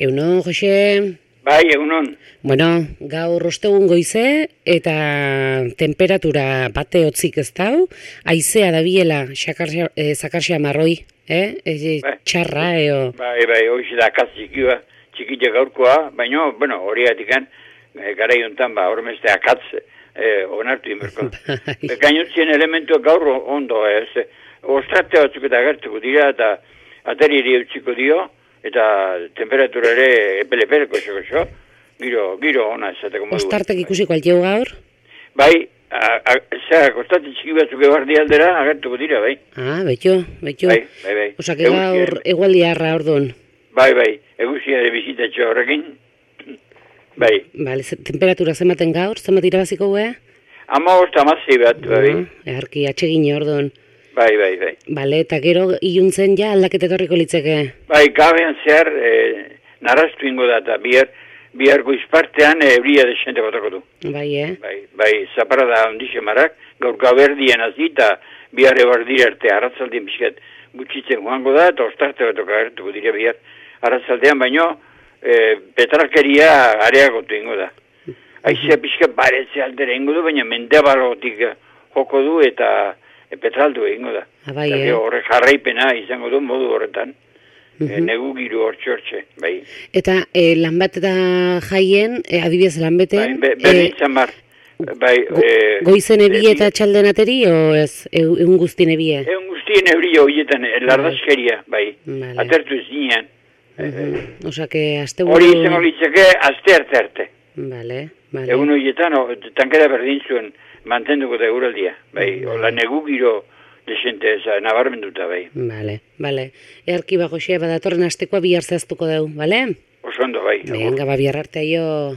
Egunon, Jose? Bai, egunon. Bueno, gaur ostegun goize eta temperatura bate hotzik ez dau, haizea dabiela zakarsia marroi, txarra, eo. Bai, hoxe da akatz txikia gaurkoa, baina, bueno, horiatikan, gara jontan, hormeste akatz onartu inberko. Gainotzien elementuak gaur ondo, ostrate batzuk eta agertuko dira, eta atari ere utziko dio, eta temperatura ere epele-epeleko xo, giro ona esateko modu. Ostartek ikusiko altiau gaur? Bai, kostate txiki batzuk ebardi aldera agertuko dira, bai. Betxo. Bai. Osa, que gaur egualdiarra orduan. Bai, eguzia ere bizitatxo horrekin. Bai. Bale, temperatura zematen gaur, zemat irabaziko guea? 15 bat, bai. Eharki, atsegin orduan. Bai. Bale, eta gero iluntzen ja aldaketa etorriko litzeke? Bai, gabean zehar narrastu ingo da, eta bihar goizpartean euria desente botako du. Bai, Bai, zapara da ondixe marak, gaur gaberdien hazi, eta bihar ebardira arte arratzaldien pixkat gutxitzen joango da, eta ostarte batok agertuko dira bihar arratzaldean, baino petralkeria areagotu ingo da. Aizea pixkat baretze aldera ingo du, baina mendebalotik joko du, eta petraldu egingo da. Horrek jarraipena izango du modu horretan. Negu giru hortxe, bai. Eta lan bat eta jaien, adibidez lan beten... Berdintzan bar. Goizen ebie eta txalden ateri, o ez, egun guztien ebie? Egun guztien ebie horietan, lardazkeria, bai. Atertu ez nian. Osa, que azte hori izango litzake, azte arte. Bale. Egun horietan, tankera berdin zuen mantenduko da euraldia, bai. Ola negu giro desente nabarmenduta, bai. Bale. Earki Jose, badatorren astekoa bihar zehaztuko dugu, bale? Oso ondo, bai. Venga, bihar arte, aio.